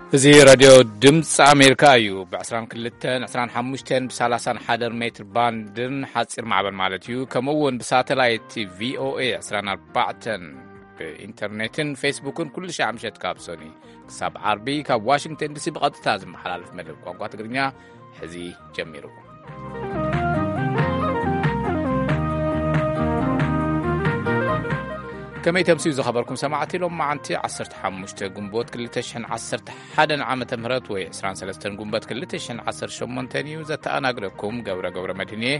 እዚ ራድዮ ድምፂ ኣሜሪካ እዩ። ብ22፣ 25፣ ብ31 ሜትር ባንድን ሓፂር ማዕበል ማለት እዩ። ከምኡ እውን ብሳተላይት ቪኦኤ 24፣ ብኢንተርኔትን ፌስቡክን ኩሉ ሻዕ ምሸት ካብ ሶኒ ክሳብ ዓርቢ ካብ ዋሽንግተን ዲሲ ብቐጥታ ዝመሓላለፍ መደብ ቋንቋ ትግርኛ ሕዚ ጀሚሩ። ከመይ ተምስዩ ዝኸበርኩም ሰማዕቲ፣ ሎም መዓንቲ 15 ግንቦት 2011 ዓመተ ምህረት ወይ 23 ግንቦት 2018 እዩ። ዘተኣናግደኩም ገብረ ገብረ መድህን እየ።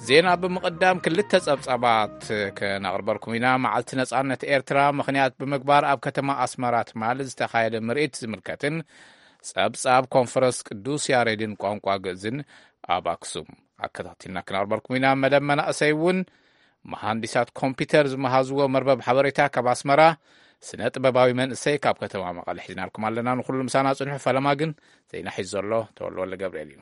ዜና ብምቕዳም ክልተ ጸብጻባት ከነቕርበልኩም ኢና። መዓልቲ ነጻነት ኤርትራ ምኽንያት ብምግባር ኣብ ከተማ ኣስመራ ትማሊ ዝተኻየደ ምርኢት ዝምልከትን ጸብጻብ ኮንፈረንስ ቅዱስ ያሬድን ቋንቋ ግእዝን ኣብ ኣክሱም ኣከታቲልና ክነቕርበልኩም ኢና። መደብ መናእሰይ እውን መሃንዲሳት ኮምፒውተር ዝመሃዝዎ መርበብ ሓበሬታ ካብ ኣስመራ፣ ስነ ጥበባዊ መንእሰይ ካብ ከተማ መቐለ ሒዝናልኩም ኣለና። ንኹሉ ምሳና ጽንሑ። ፈለማ ግን ዜና ሒዙ ዘሎ ተወልወለ ገብርኤል እዩ።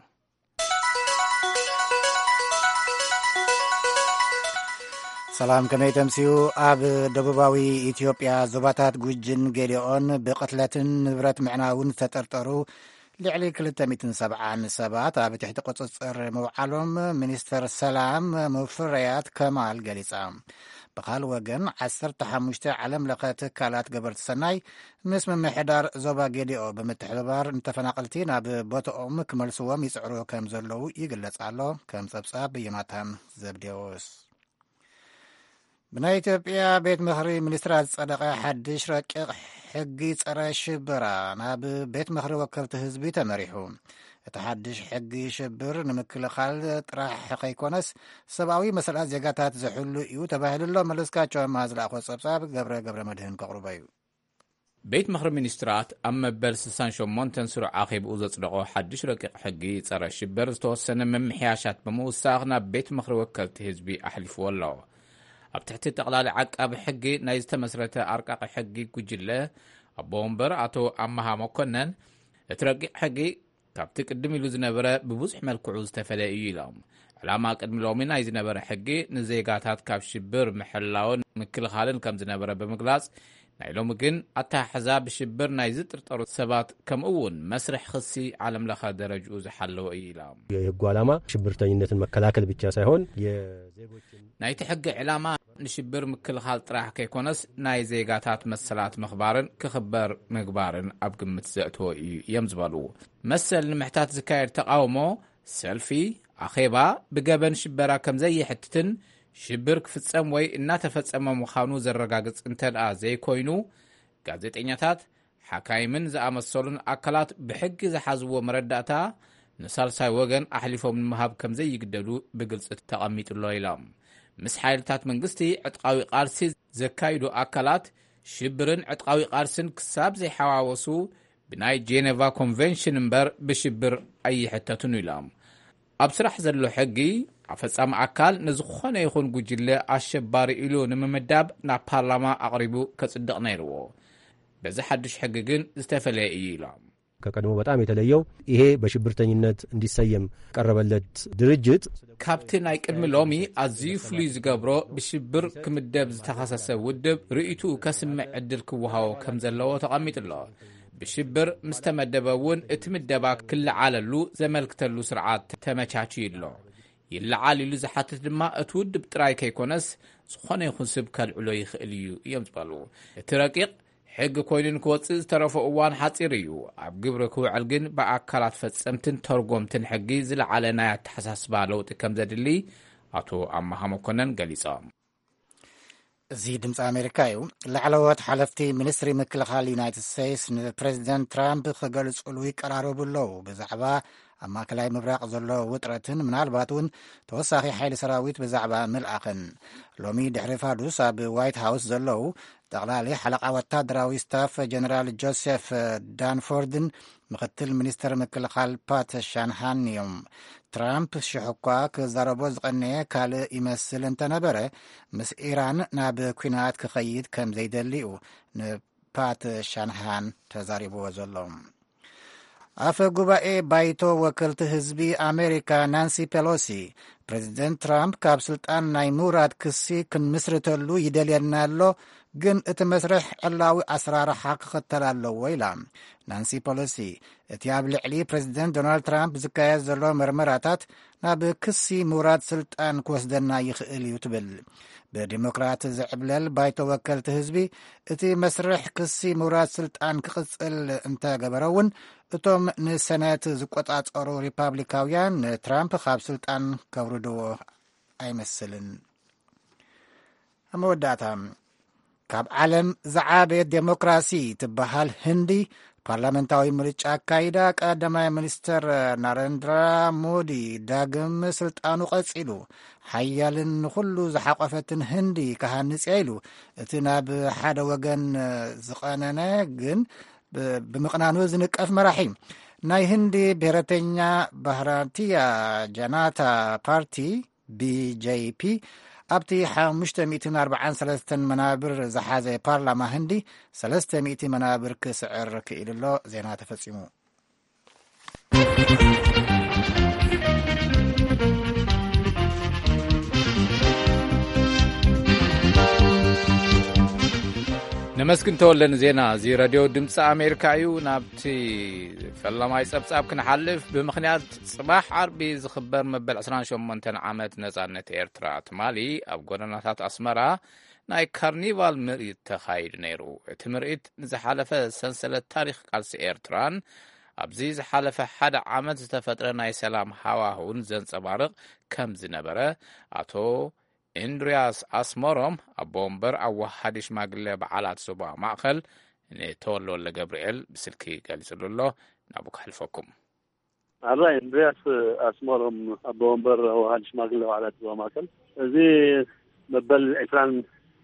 ሰላም፣ ከመይ ተምስዩ? ኣብ ደቡባዊ ኢትዮጵያ ዞባታት ጉጅን ጌዴኦን ብቕትለትን ንብረት ምዕናውን ዝተጠርጠሩ ልዕሊ 270 ሰባት ኣብ ትሕቲ ቁጽጽር ምውዓሎም ሚኒስተር ሰላም ሙፈሪያት ከማል ገሊጻ። ብኻልእ ወገን፣ 15 ዓለም ለኸ ትካላት ገበርቲ ሰናይ ምስ ምምሕዳር ዞባ ጌዴኦ ብምትሕብባር ንተፈናቐልቲ ናብ ቦታኦም ክመልስዎም ይጽዕሩ ከም ዘለዉ ይግለጽ ኣሎ። ከም ጸብጻብ ዮናታን ዘብዴዎስ። ብናይ ኢትዮጵያ ቤት ምኽሪ ሚኒስትራት ዝጸደቐ ሓድሽ ረቂቕ ሕጊ ጸረ ሽበራ ናብ ቤት ምኽሪ ወከልቲ ህዝቢ ተመሪሑ። እቲ ሓድሽ ሕጊ ሽብር ንምክልኻል ጥራሕ ከይኮነስ፣ ሰብኣዊ መሰላት ዜጋታት ዝሕሉ እዩ ተባሂሉ ኣሎ። መለስካቸው ኣምሃ ዝለኣኾ ጸብጻብ ገብረ ገብረ መድህን ከቕርቦ እዩ። ቤት ምኽሪ ሚኒስትራት ኣብ መበል 68 ስሩዕ ኣኼብኡ ዘጽደቖ ሓድሽ ረቂቕ ሕጊ ጸረ ሽብር ዝተወሰነ ምምሕያሻት ብምውሳኽ ናብ ቤት ምኽሪ ወከልቲ ህዝቢ ኣሕሊፍዎ ኣሎ። ኣብ ትሕቲ ጠቕላሊ ዓቃቢ ሕጊ ናይ ዝተመስረተ ኣርቃቂ ሕጊ ጉጅለ ኣቦ ወንበር ኣቶ ኣመሃ መኮነን፣ እቲ ረቂቕ ሕጊ ካብቲ ቅድም ኢሉ ዝነበረ ብብዙሕ መልክዑ ዝተፈለየ እዩ ኢሎም። ዕላማ ቅድሚ ሎሚ ናይ ዝነበረ ሕጊ ንዜጋታት ካብ ሽብር ምሕላውን ምክልኻልን ከም ዝነበረ ብምግላጽ፣ ናይ ሎሚ ግን ኣተሓሕዛ ብሽብር ናይ ዝጥርጠሩ ሰባት ከምኡ እውን መስርሕ ክሲ ዓለም ለኸ ደረጅኡ ዝሓለወ እዩ ኢሎም። የህጉ ዓላማ ሽብርተኝነትን መከላከል ብቻ ሳይሆን የዜጎችን ናይቲ ሕጊ ዕላማ ንሽብር ምክልኻል ጥራሕ ከይኮነስ፣ ናይ ዜጋታት መሰላት ምኽባርን ክኽበር ምግባርን ኣብ ግምት ዘእተወ እዩ እዮም ዝበሉ። መሰል ንምሕታት ዝካየድ ተቓውሞ፣ ሰልፊ፣ ኣኼባ ብገበን ሽበራ ከም ዘይሕትትን ሽብር ክፍጸም ወይ እናተፈጸመ ምዃኑ ዘረጋግጽ እንተደኣ ዘይኮይኑ፣ ጋዜጠኛታት፣ ሓካይምን ዝኣመሰሉን ኣካላት ብሕጊ ዝሓዝዎ መረዳእታ ንሳልሳይ ወገን ኣሕሊፎም ንምሃብ ከም ዘይግደዱ ብግልጺ ተቐሚጡ ኣሎ ኢሎም። ምስ ሓይልታት መንግስቲ ዕጥቃዊ ቃልሲ ዘካይዱ ኣካላት ሽብርን ዕጥቃዊ ቃልስን ክሳብ ዘይሓዋወሱ ብናይ ጄኔቫ ኮንቨንሽን እምበር ብሽብር ኣይሕተቱን ኢሎም። ኣብ ስራሕ ዘሎ ሕጊ ኣፈጻሚ ኣካል ንዝኾነ ይኹን ጉጅለ ኣሸባሪ ኢሉ ንምምዳብ ናብ ፓርላማ ኣቕሪቡ ከጽድቕ ነይርዎ። በዚ ሓድሽ ሕጊ ግን ዝተፈለየ እዩ ኢሎም። ከቀድሞ በጣም የተለየው ይሄ በሽብርተኝነት እንዲሰየም ቀረበለት ድርጅት ካብቲ ናይ ቅድሚ ሎሚ ኣዝዩ ፍሉይ ዝገብሮ፣ ብሽብር ክምደብ ዝተኸሰሰ ውድብ ርእይትኡ ከስምዕ ዕድል ክወሃቦ ከም ዘለዎ ተቐሚጡ ኣሎ። ብሽብር ምስ ተመደበ እውን እቲ ምደባ ክለዓለሉ ዘመልክተሉ ስርዓት ተመቻችዩ ኣሎ። ይለዓል ኢሉ ዝሓትት ድማ እቲ ውድብ ጥራይ ከይኮነስ፣ ዝኾነ ይኹን ስብ ከልዕሎ ይኽእል እዩ እዮም ዝበሉ። እቲ ረቂቕ ሕጊ ኮይኑ ንክወጽእ ዝተረፎ እዋን ሓጺር እዩ። ኣብ ግብሪ ክውዕል ግን ብኣካላት ፈጸምትን ተርጎምትን ሕጊ ዝለዓለ ናይ ኣተሓሳስባ ለውጢ ከም ዘድሊ ኣቶ ኣመሃ መኮነን ገሊጾም። እዚ ድምፂ ኣሜሪካ እዩ። ላዕለዎት ሓለፍቲ ሚኒስትሪ ምክልኻል ዩናይትድ ስቴትስ ንፕሬዚደንት ትራምፕ ክገልጽሉ ይቀራረቡ ኣለዉ። ብዛዕባ ኣብ ማእከላይ ምብራቕ ዘሎ ውጥረትን ምናልባት እውን ተወሳኺ ሓይሊ ሰራዊት ብዛዕባ ምልኣኽን። ሎሚ ድሕሪ ፋዱስ ኣብ ዋይት ሃውስ ዘለዉ ጠቕላሊ ሓለቓ ወታደራዊ ስታፍ ጀነራል ጆሴፍ ዳንፎርድን ምኽትል ሚኒስተር ምክልኻል ፓት ሻንሃን እዮም። ትራምፕ ሽሕ እኳ ክዛረቦ ዝቐነየ ካልእ ይመስል እንተነበረ፣ ምስ ኢራን ናብ ኲናት ክኸይድ ከም ዘይደሊ እዩ ንፓት ሻንሃን ተዛሪብዎ ዘሎ። ኣፈ ጉባኤ ባይቶ ወከልቲ ህዝቢ ኣሜሪካ ናንሲ ፔሎሲ ፕሬዚደንት ትራምፕ ካብ ስልጣን ናይ ምውራድ ክሲ ክንምስርተሉ ይደልየና ኣሎ፣ ግን እቲ መስርሕ ዕላዊ ኣሰራርሓ ክኽተል ኣለዎ ኢላ። ናንሲ ፖሎሲ፣ እቲ ኣብ ልዕሊ ፕሬዚደንት ዶናልድ ትራምፕ ዝካየድ ዘሎ መርመራታት ናብ ክሲ ምውራድ ስልጣን ክወስደና ይኽእል እዩ ትብል። ብዲሞክራት ዝዕብለል ባይቶ ወከልቲ ህዝቢ፣ እቲ መስርሕ ክሲ ምውራድ ስልጣን ክቕጽል እንተገበረ እውን፣ እቶም ንሰነት ዝቆጻጸሩ ሪፓብሊካውያን ንትራምፕ ካብ ስልጣን ከውርድዎ ኣይመስልን። ኣብ መወዳእታ፣ ካብ ዓለም ዝዓበየት ዴሞክራሲ ትበሃል ህንዲ፣ ፓርላመንታዊ ምርጫ ኣካይዳ፣ ቀዳማይ ሚኒስተር ናረንድራ ሞዲ ዳግም ስልጣኑ ቀጺሉ፣ ሓያልን ንኹሉ ዝሓቆፈትን ህንዲ ክሃንጽ እያ ኢሉ፣ እቲ ናብ ሓደ ወገን ዝቐነነ ግን ብ-፣ ብምቕናኑ ዝንቀፍ መራሒ። ናይ ህንዲ ብሔረተኛ ባህራቲያ ጃናታ ፓርቲ፣ ቢ ጄ ፒ፣ ኣብቲ ሓሙሽተ ሚእትን ኣርባዓን ሰለስተን መናብር ዝሓዘ ፓርላማ ህንዲ፣ ሰለስተ ሚእቲ መናብር ክስዕር ክኢሉ ኣሎ። ዜና ተፈጺሙ። ነመስግን ተወልደ ንዜና። እዚ ሬድዮ ድምፂ ኣሜሪካ እዩ። ናብቲ ፈላማይ ጸብጻብ ክንሓልፍ፣ ብምኽንያት ጽባሕ ዓርቢ ዝኽበር መበል ዕስራን ሸሞንተን ዓመት ነጻነት ኤርትራ፣ ትማሊ ኣብ ጎደናታት ኣስመራ ናይ ካርኒቫል ምርኢት ተኻይዱ ነይሩ። እቲ ምርኢት ንዝሓለፈ ሰንሰለት ታሪኽ ቃልሲ ኤርትራን ኣብዚ ዝሓለፈ ሓደ ዓመት ዝተፈጥረ ናይ ሰላም ሃዋህውን ዘንጸባርቕ ከም ዝነበረ፣ ኣቶ እንድርያስ ኣስመሮም፣ ኣቦ ወንበር ኣዋሃዲ ሽማግለ በዓላት ዞባ ማእከል፣ ንተወልደ ወልደ ገብርኤል ብስልኪ ገሊጹሉ ኣሎ። ናብኡ ከሕልፈኩም። ኣራይ፣ እንድርያስ ኣስመሮም፣ ኣቦ ወንበር ኣዋሃዲ ሽማግለ በዓላት ዞባ ማእከል፣ እዚ መበል ዕስራን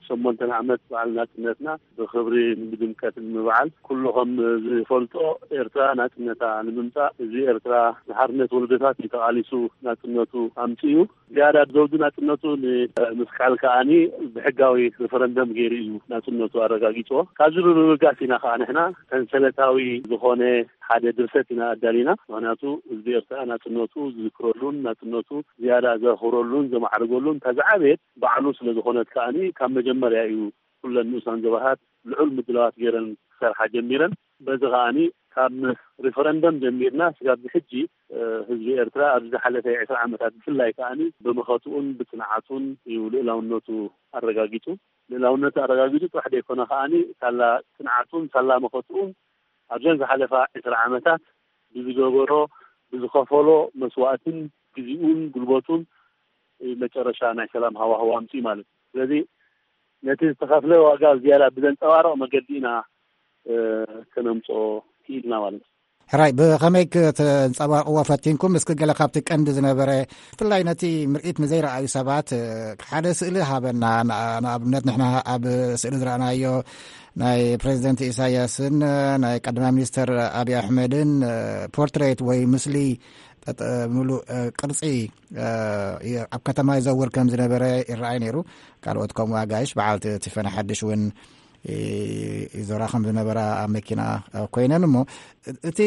ሸሞንተን ዓመት በዓል ናጽነትና ብኽብሪ ብድምቀት ንምብዓል፣ ኩሉ ከም ዝፈልጦ፣ ኤርትራ ናጽነታ ንምምጻእ፣ እዚ ኤርትራ ንሓርነት ወለዶታት እዩ ተቓሊሱ ናጽነቱ ኣምጺኡ። ዝያዳ ዘውዲ ናጽነቱ ንምስቃል ከኣኒ ብሕጋዊ ሪፈረንደም ገይሩ እዩ ናጽነቱ ኣረጋጊጽዎ። ካብዚ ብምብጋስ ኢና ከኣ ንሕና ሰንሰለታዊ ዝኾነ ሓደ ድርሰት ኢና ኣዳሊና። ምኽንያቱ ህዝቢ ኤርትራ ናጽነቱ ዝዝክረሉን ናጽነቱ ዝያዳ ዘኽብረሉን ዘማዕርገሉን እታ ዝዓበየት ባዕሉ ስለ ዝኾነት ከኣኒ ካብ መጀመርያ እዩ ኩለን ንኡሳን ዞባታት ልዑል ምድላዋት ገይረን ክሰርሓ ጀሚረን። በዚ ከኣኒ ካብ ሪፈረንደም ጀሚርና ስጋብ ሕጂ፣ እ፣ ህዝቢ ኤርትራ ኣብዚ ዝሓለፈ ዕስራ ዓመታት ብፍላይ ከኣኒ ብምኸትኡን ብጽንዓቱን እዩ ልእላውነቱ ኣረጋጊጹ። ልእላውነቱ ኣረጋጊጹ ጥራሕ ዘይኮነ ከኣኒ ሳላ ጽንዓቱን ሳላ መኸትኡን ኣብዘን ዝሓለፋ ዕስራ ዓመታት ብዝገበሮ፣ ብዝኸፈሎ መስዋእትን ግዜኡን ጉልበቱን መጨረሻ ናይ ሰላም ሃዋህው ኣምፅኡ ማለት እዩ። ስለዚ ነቲ ዝተኸፍለ ዋጋ ዝያዳ ብዘንፀባርቕ መገዲ ኢና፣ እ፣ ከነምፅኦ ክኢልና ማለት እዩ። ሕራይ፣ ብኸመይ ከተንጸባርቕዎ ፈቲንኩም? እስኪ ገለ ካብቲ ቀንዲ ዝነበረ፣ ብፍላይ ነቲ ምርኢት ንዘይረኣዩ ሰባት፣ እ፣ ሓደ ስእሊ ሃበና። ንኣ-፣ ንኣብነት ንሕና ኣብ ስእሊ ዝረኣናዮ ናይ ፕሬዚደንት ኢሳያስን፣ እ፣ ናይ ቀዳማይ ሚኒስተር ኣብይ ኣሕመድን፣ እ፣ ፖርትሬት ወይ ምስሊ ጠጠ-፣ ምሉእ፣ እ፣ ቅርጺ፣ እ፣ ይ-፣ ኣብ ከተማ ይዘውር ከም ዝነበረ ይረኣይ ነይሩ። ካልኦት ከምኡ ኣጋይሽ፣ በዓልቲ ቲፈን ሓድሽ እውን ይ-፣ ይዞራ ከም ዝነበራ ኣብ መኪና፣ እ፣ ኮይነን እሞ፣ እ-፣ እቲ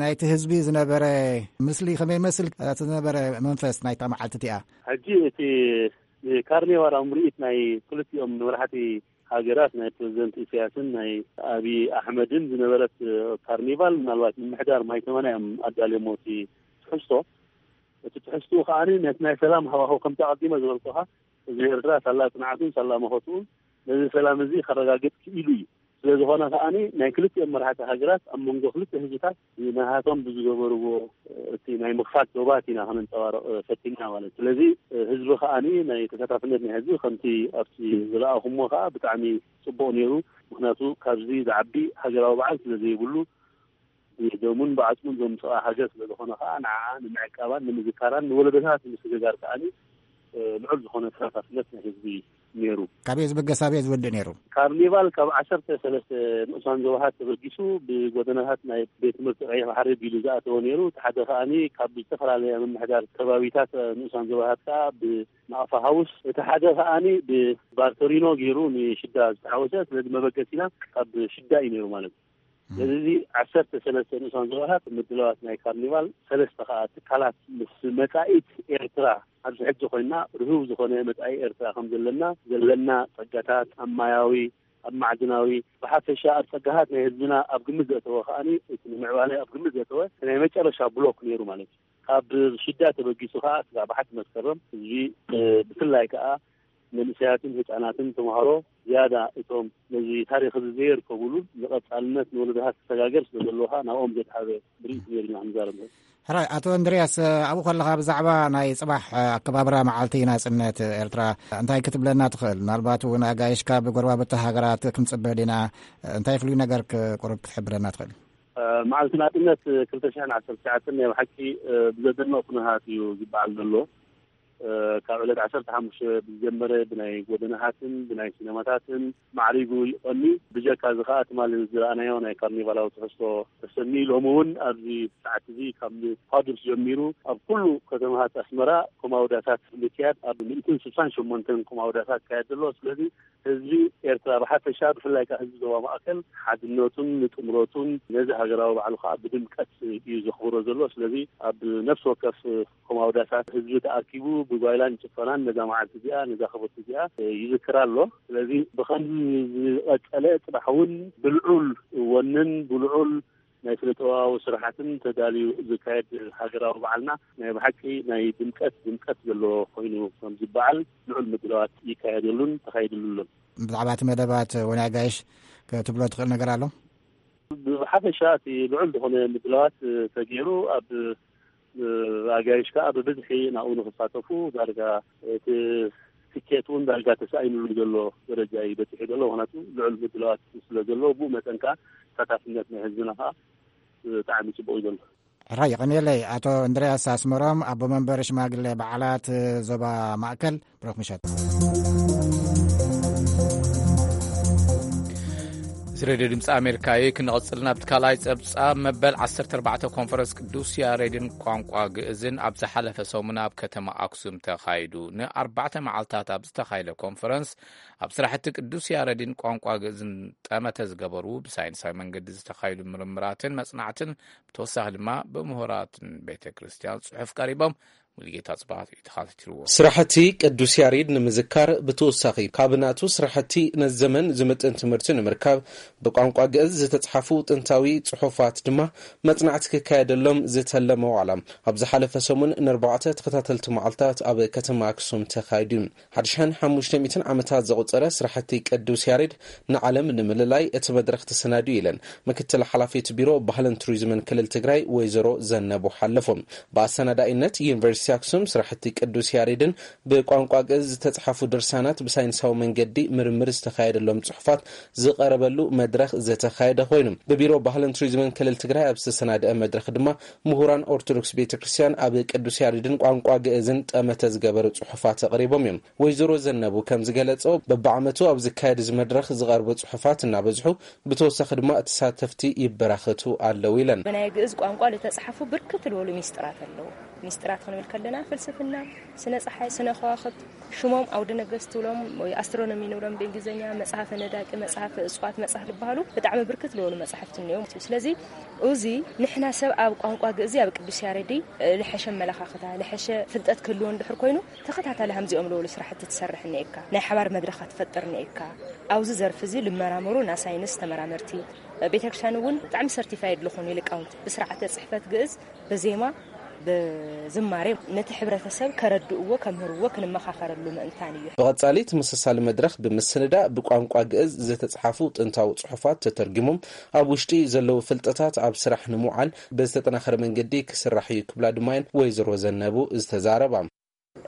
ናይቲ ህዝቢ ዝነበረ ምስሊ ከመይ ይመስል? እቲ ዝነበረ መንፈስ ናይታ መዓልቲ እቲኣ? ሕጂ እቲ ካርኒቫላዊ ምርኢት ናይ ክልቲኦም መራሕቲ ሃገራት፣ ናይ ፕሬዚደንት ኢሳያስን ናይ ኣብይ ኣሕመድን ዝነበረት፣ እ፣ ካርኒቫል፣ ምናልባት ምምሕዳር ማይ ተመና እዮም ኣዳልዮሞ እቲ ትሕዝቶ። እቲ ትሕዝትኡ ከኣ ነቲ ናይ ሰላም ሃዋህው ከምቲ ኣቐዲመ ዝበልኩኻ፣ ህዝቢ ኤርትራ ሳላ ጽንዓቱን ሳላ መኸትኡን ነዚ ሰላም እዚ ከረጋግጽ ክኢሉ እዩ። ስለ ዝኾነ ከኣ ናይ ክልቲኦም መራሕቲ ሃገራት ኣብ መንጎ ክልተ ህዝብታት ናሃቶም ብዝገበርዎ እቲ ናይ ምኽፋት ዶባት ኢና ከነንጸባርቕ ፈቲንና ማለት እዩ። ስለዚ ህዝቢ ከኣ ናይ ተሳታፍነት ናይ ህዝቢ ከምቲ ኣብቲ ዝረኣኹሞ ከኣ ብጣዕሚ ጽቡቕ ነይሩ። ምኽንያቱ ካብዚ ዝዓቢ ሃገራዊ በዓል ስለ ዘይብሉ ብደሙን ብዓጽሙን ዘምጽኣ ሃገር ስለ ዝኾነ ከኣ ንዓኣ ንምዕቃባን ንምዝካራን ንወለዶታት ንምስግጋር ከኣ ልዑል ዝኾነ ተሳታፍነት ናይ ህዝቢ ነይሩ። ካበይ ዝብገስ ኣበይ ዝወድእ ነይሩ? ካርኒቫል ካብ ዓሰርተ ሰለስተ ንኡሳን ዞባታት ተበጊሱ ብጎደናታት ናይ ቤት ትምህርቲ ቀይሕ ባሕሪ ቢሉ ዝኣተወ ነይሩ። እቲ ሓደ ከኣ ካብ ዝተፈላለያ ምምሕዳር ከባቢታት ንኡሳን ዞባታት ከኣ ብናቕፋ ሃውስ፣ እቲ ሓደ ከኣ ብባርተሪኖ ገይሩ ንሽዳ ዝተሓወሰ። ስለዚ መበገሲና ካብ ሽዳ እዩ ነይሩ ማለት እዩ። ስለዚ ዓሰርተ ሰለስተ ንኡሳን ዞባታት ምድላዋት ናይ ካርኒቫል፣ ሰለስተ ከዓ ትካላት ምስ መጻኢት ኤርትራ ኣብዚ ሕጂ ኮይና ርሁው ዝኾነ መጻኢ ኤርትራ ከም ዘለና፣ ዘለና ጸጋታት ኣብ ማያዊ፣ ኣብ ማዕድናዊ፣ ብሓፈሻ ኣብ ጸጋታት ናይ ህዝብና ኣብ ግምት ዘእተወ ከዓኒ፣ እቲ ንምዕባለ ኣብ ግምት ዘእተወ ናይ መጨረሻ ብሎክ ነይሩ ማለት እዩ። ካብ ሽዳ ተበጊሱ ከዓ ስጋዕ ባሕቲ መስከረም ህዝቢ፣ ብፍላይ ከዓ መንእሰያትን ህጻናትን ተምሃሮ ዝያዳ እቶም ነዚ ታሪኽ እዚ ዘየርከቡሉ ንቐጻልነት ንወለዶታት ክሰጋገር ስለ ዘለዎ ከዓ ናብኦም ዘድሃበ ምርኢት ነይሩ ኢና ክንዛረብ ንኽእል። ሕራይ ኣቶ እንድርያስ፣ ኣብኡ ከለኻ ብዛዕባ ናይ ጽባሕ ኣከባብራ መዓልቲ ናጽነት ኤርትራ እንታይ ክትብለና ትኽእል? ምናልባት እውን ኣጋይሽካ ብጎረባብቲ ሃገራት ክንጽበ ዲና? እንታይ ፍሉይ ነገር ቁሩብ ክትሕብረና ትኽእል? መዓልቲ ናጽነት ክልተ ሽሕን ዓሰርተ ትሽዓተን ናይ ብሓቂ ብዘደንቕ ኩነታት እዩ ዝበዓል ዘሎ። ካብ ዕለት ዓሰርተ ሓሙሽተ ብዝጀመረ ብናይ ጎደናታትን ብናይ ሲነማታትን ማዕሪጉ ይቐኒ። ብጀካ እዚ ከዓ ትማሊ ዝረኣናዮ ናይ ካርኒቫላዊ ትሕዝቶ ተሰኒ፣ ሎሚ እውን ኣብዚ ሰዓት እዚ ካብ ፋዱስ ጀሚሩ ኣብ ኩሉ ከተማታት ኣስመራ ኮማውዳታት ምክያድ፣ ኣብ ሚእትን ስሳን ሸሞንተን ኮማውዳታት ይካየድ ዘሎ። ስለዚ ህዝቢ ኤርትራ ብሓፈሻ፣ ብፍላይ ከዓ ህዝቢ ዞባ ማእከል ሓድነቱን ንጥምረቱን ነዚ ሃገራዊ በዓሉ ከዓ ብድምቀት እዩ ዘኽብሮ ዘሎ። ስለዚ ኣብ ነፍሲ ወከፍ ኮማውዳታት ህዝቢ ተኣኪቡ ብጓይላን ጭፈራን ነዛ መዓልቲ እዚኣ፣ ነዛ ክብርቲ እዚኣ ይዝክር ኣሎ። ስለዚ ብኸምዚ ዝቐጸለ፣ ጽባሕ እውን ብልዑል ወንን ብልዑል ናይ ስነ ጥበባዊ ስራሓትን ተዳልዩ ዝካየድ ሃገራዊ በዓልና ናይ ብሓቂ ናይ ድምቀት ድምቀት ዘለዎ ኮይኑ ከም ዝበዓል ልዑል ምድላዋት ይካየደሉን ተኻይድሉን። ብዛዕባ እቲ መደባት ወናይ ኣጋይሽ ክትብሎ ትኽእል ነገር ኣሎ? ብሓፈሻ እቲ ልዑል ዝኾነ ምድላዋት ተገይሩ፣ ኣብ ኣጋይሽ ከዓ ብብዝሒ ናብኡ ንክሳተፉ ዳርጋ እቲ ትኬት እውን ዳርጋ ተሳኢኑሉ ዘሎ ደረጃ እዩ በፂሑ ዘሎ። ምክንያቱ ልዑል ምድላዋት ስለ ዘሎ፣ ብኡ መጠን ከዓ ተሳታፍነት ናይ ህዝብና ከዓ ብጣዕሚ ፅቡቅ እዩ ዘሎ። ሕራይ የቐንየለይ። ኣቶ እንድርያስ ኣስመሮም፣ ኣቦ መንበር ሽማግሌ በዓላት ዞባ ማእከል፣ ብሩኽ ምሸት። እዚ ሬድዮ ድምፂ ኣሜሪካ እዩ። ክንቕፅል ናብቲ ካልኣይ ፀብፃብ። መበል ዓሰርተ ኣርባዕተ ኮንፈረንስ ቅዱስ ያሬድን ቋንቋ ግእዝን ኣብ ዝሓለፈ ሰሙን ኣብ ከተማ ኣክሱም ተኻይዱ። ንኣርባዕተ መዓልታት ኣብ ዝተኻየደ ኮንፈረንስ ኣብ ስራሕቲ ቅዱስ ያሬድን ቋንቋ ግእዝን ጠመተ ዝገበሩ፣ ብሳይንሳዊ መንገዲ ዝተኻየዱ ምርምራትን መጽናዕትን፣ ብተወሳኺ ድማ ብምሁራትን ቤተ ክርስቲያን ጽሑፍ ቀሪቦም። ሙሉጌታ ጽባህ እዩ ተኸታቲልዎ። ስራሕቲ ቅዱስ ያሬድ ንምዝካር ብተወሳኺ ካብ ናቱ ስራሕቲ ነዚ ዘመን ዝምጥን ትምህርቲ ንምርካብ ብቋንቋ ግእዝ ዝተጽሓፉ ጥንታዊ ጽሑፋት ድማ መጽናዕቲ ክካየደሎም ዝተለመ ዋዕላ ኣብ ዝሓለፈ ሰሙን ንኣርባዕተ ተኸታተልቲ መዓልታት ኣብ ከተማ ኣክሱም ተኻይዱ። ሓደ ሽሕን ሓሙሽተ ሚእትን ዓመታት ዘቑጸረ ስራሕቲ ቅዱስ ያሬድ ንዓለም ንምልላይ እቲ መድረኽ ተሰናድዩ ኢለን ምክትል ሓላፊት ቢሮ ባህልን ቱሪዝምን ክልል ትግራይ ወይዘሮ ዘነቡ ሓለፎም። ብኣሰናዳኢነት ዩኒቨርሲቲ ኣክሱም ስራሕቲ ቅዱስ ያሬድን ብቋንቋ ግእዝ ዝተጽሓፉ ድርሳናት ብሳይንሳዊ መንገዲ ምርምር ዝተኻየደሎም ጽሑፋት ዝቐረበሉ መድረኽ ዝተኻየደ ኮይኑ፣ ብቢሮ ባህልን ቱሪዝምን ክልል ትግራይ ኣብ ዝተሰናደአ መድረኽ ድማ ምሁራን ኦርቶዶክስ ቤተ ክርስቲያን ኣብ ቅዱስ ያሬድን ቋንቋ ግእዝን ጠመተ ዝገበሩ ጽሑፋት ኣቕሪቦም እዮም። ወይዘሮ ዘነቡ ከም ዝገለጸው፣ በብዓመቱ ኣብ ዝካየድ እዚ መድረኽ ዝቐርቡ ጽሑፋት እናበዝሑ፣ ብተወሳኺ ድማ ተሳተፍቲ ይበራኸቱ ኣለዉ ኢለን። ብናይ ግእዝ ቋንቋ ዝተጻሕፉ ብርክት ዝበሉ ሚስጥራት ኣለዉ። ሚስጥራት ክንብል ከለና ፍልስፍና፣ ስነ ጸሓይ፣ ስነ ከዋኽብት፣ ሽሞም ኣውደ ነገስት ትብሎም ወይ ኣስትሮኖሚ ንብሎም ብእንግሊዝኛ፣ መጽሓፈ ነዳቂ፣ መጽሓፈ እጽዋት፣ መጽሓፍ ዝበሃሉ ብጣዕሚ ብርክት ዝበሉ መጽሓፍቲ እኒኦም። ስለዚ እዚ ንሕና ሰብ ኣብ ቋንቋ ግእዚ ኣብ ቅዱስ ያሬዲ ልሐሸ ኣመለኻኽታ፣ ልሐሸ ፍልጠት ክህልዎ እንድሕር ኮይኑ፣ ተኸታታሊ ከምዚኦም ዝበሉ ስራሕቲ ትሰርሕ እኒኤካ፣ ናይ ሓባር መድረኻት ትፈጥር እኒኤካ። ኣብዚ ዘርፊ እዚ ልመራመሩ ና ሳይንስ ተመራመርቲ፣ ቤተክርስትያን እውን ብጣዕሚ ሰርቲፋይድ ዝኾኑ ሊቃውንቲ ብስርዓተ ጽሕፈት ግእዝ፣ ብዜማ፣ ብዝማሬ ነቲ ሕብረተሰብ ከረድእዎ፣ ከምህርዎ፣ ክንመኻኸረሉ ምእንታን እዩ። ብቐጻሊ ተመሳሳሊ መድረኽ ብምስንዳእ ብቋንቋ ግእዝ ዝተጽሓፉ ጥንታዊ ጽሑፋት ተተርጊሞም ኣብ ውሽጢ ዘለዉ ፍልጠታት ኣብ ስራሕ ንምውዓል ብዝተጠናኸረ መንገዲ ክስራሕ እዩ ክብላ ድማ እየን ወይዘሮ ዘነቡ ዝተዛረባ።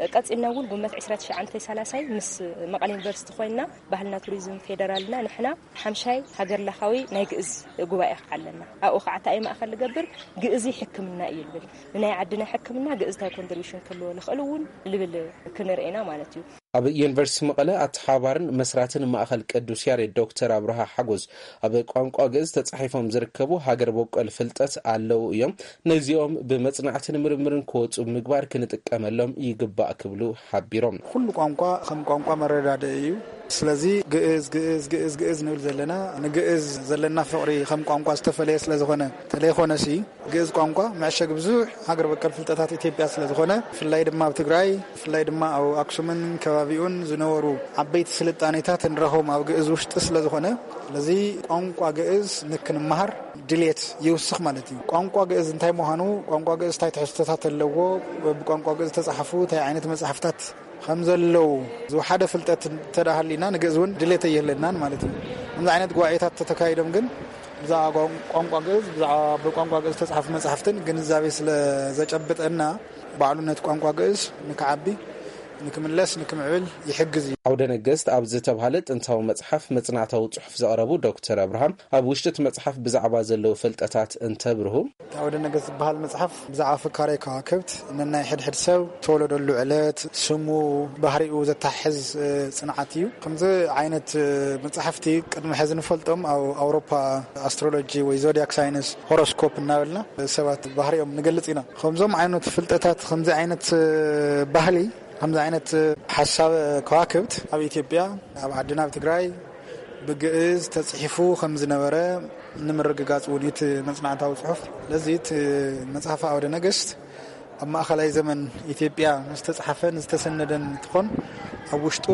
ቀጺልና እውን ጉንበት ዕስራ ትሽዓተ ሰላሳይ ምስ መቐለ ዩኒቨርሲቲ ኮይንና ባህልና ቱሪዝም ፌደራልና ንሕና ሓምሻይ ሃገር ለኻዊ ናይ ግእዝ ጉባኤ ከዓ ኣለና። ኣብኡ ከዓ እንታይ እዩ ማእከል ዝገብር? ግእዚ ሕክምና እዩ ዝብል። ንናይ ዓድና ሕክምና ግእዝ እንታይ ኮንትሪቢሽን ክህልዎ ዝኽእል እውን ዝብል ክንርኢ ኢና ማለት እዩ። ኣብ ዩኒቨርሲቲ መቐለ ኣተሓባርን መስራትን ማእከል ቅዱስ ያሬድ ዶክተር ኣብርሃ ሓጎስ፣ ኣብ ቋንቋ ግእዝ ተጻሒፎም ዝርከቡ ሃገር በቆል ፍልጠት ኣለዉ እዮም። ነዚኦም ብመጽናዕትን ምርምርን ክወጹ ምግባር ክንጥቀመሎም ይግባእ ክብሉ ሓቢሮም። ኩሉ ቋንቋ ከም ቋንቋ መረዳድኢ እዩ። ስለዚ ግእዝ ግእዝ ግእዝ ግእዝ ንብል ዘለና፣ ንግእዝ ዘለና ፍቕሪ ከም ቋንቋ ዝተፈለየ ስለ ዝኾነ፣ ተለይኮነሲ ግእዝ ቋንቋ መዕሸግ ብዙሕ ሃገር በቀል ፍልጠታት ኢትዮጵያ ስለ ዝኾነ፣ ብፍላይ ድማ ኣብ ትግራይ፣ ብፍላይ ድማ ኣብ ኣክሱምን ከባቢኡን ዝነበሩ ዓበይቲ ስልጣኔታት ንረኽቦም ኣብ ግእዝ ውሽጢ ስለ ዝኾነ፣ ስለዚ ቋንቋ ግእዝ ንክንመሃር ድሌት ይውስኽ ማለት እዩ። ቋንቋ ግእዝ እንታይ ምዃኑ፣ ቋንቋ ግእዝ እንታይ ትሕዝቶታት ኣለዎ፣ ብቋንቋ ግእዝ ዝተጻሕፉ እንታይ ዓይነት መጽሓፍታት ከም ዘለዉ ዝወሓደ ፍልጠት እንተደኣ ሃልዩና፣ ንግእዝ እውን ድሌት ኣይህልናን ማለት እዩ። ከምዚ ዓይነት ጉባኤታት ተተካይዶም ግን ብዛዕባ ቋን-፣ ቋንቋ ግእዝ፣ ብዛዕባ ብቋንቋ ግእዝ ዝተጻሕፉ መጻሕፍትን ግንዛቤ ስለ ዘጨብጠና፣ ባዕሉ ነቲ ቋንቋ ግእዝ ንክዓቢ፣ ንክምለስ፣ ንክምዕብል ይሕግዝ እዩ። ኣውደ ነገስት ኣብ ዝተብሃለ ጥንታዊ መጽሓፍ መጽናዕታዊ ጽሑፍ ዘቕረቡ ዶክተር ኣብርሃም፣ ኣብ ውሽጢ እቲ መጽሓፍ ብዛዕባ ዘለዉ ፍልጠታት እንተብርሁ፣ እቲ ኣውደ ነገስት ዝበሃል መጽሓፍ ብዛዕባ ፍካሬ ከዋክብት፣ ነናይ ሕድሕድ ሰብ ተወለደሉ ዕለት፣ ስሙ፣ ባህሪኡ ዘተሓሕዝ፣ እ፣ ጽንዓት እዩ። ከምዚ ዓይነት፣ እ፣ መጽሓፍቲ ቅድሚ ሕዚ ንፈልጦም ኣብ ኣውሮፓ ኣስትሮሎጂ ወይ ዞዲያክ ሳይንስ፣ ሆሮስኮፕ እናበልና ሰባት ባህሪኦም ንገልጽ ኢና። ከምዞም ዓይነት ፍልጠታት፣ ከምዚ ዓይነት፣ እ፣ ባህሊ፣ ከምዚ ዓይነት፣ እ፣ ሓሳብ ከዋክብት ኣብ ኢትዮጵያ፣ ኣብ ዓድና፣ ኣብ ትግራይ ብግእዝ ተጽሒፉ ከም ዝነበረ ንምርግጋጽ እውን እዩ እቲ መጽናዕታዊ ጽሑፍ። ስለዚ እቲ መጽሓፍ ኣውደ ነገስት ኣብ ማእኸላይ ዘመን ኢትዮጵያ ዝተጻሕፈን ዝተሰነደን እንትኾን፣ ኣብ ውሽጡ